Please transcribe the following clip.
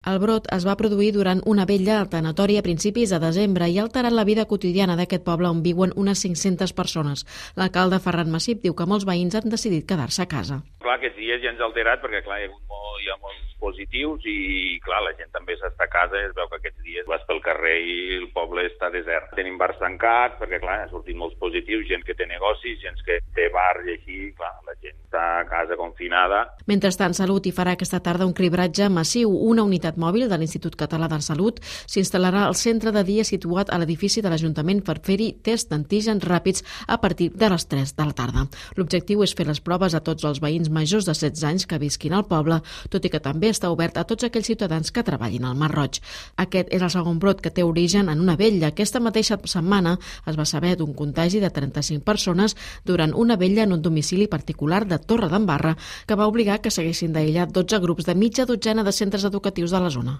El brot es va produir durant una vetlla al tanatori a principis de desembre i ha alterat la vida quotidiana d'aquest poble on viuen unes 500 persones. L'alcalde Ferran Massip diu que molts veïns han decidit quedar-se a casa. Clar, aquests dies ja ens ha alterat perquè clar, hi ha molts positius i clar, la gent també s'està a casa i es veu que aquests dies vas pel carrer i el poble està desert. Tenim bars tancats perquè clar, han sortit molts positius, gent que té negocis, gent que té bars i així, clar, la gent està a casa confinada. Mentrestant, Salut hi farà aquesta tarda un cribratge massiu. Una unitat mòbil de l'Institut Català de Salut s'instal·larà al centre de dia situat a l'edifici de l'Ajuntament per fer-hi tests d'antígens ràpids a partir de les 3 de la tarda. L'objectiu és fer les proves a tots els veïns majors de 16 anys que visquin al poble, tot i que també està obert a tots aquells ciutadans que treballin al Mar Roig. Aquest és el segon brot que té origen en una vetlla. Aquesta mateixa setmana es va saber d'un contagi de 35 persones durant una vetlla en un domicili particular de Torredembarra que va obligar que s'haguessin d'aïllar 12 grups de mitja dotzena de centres educatius de la zona.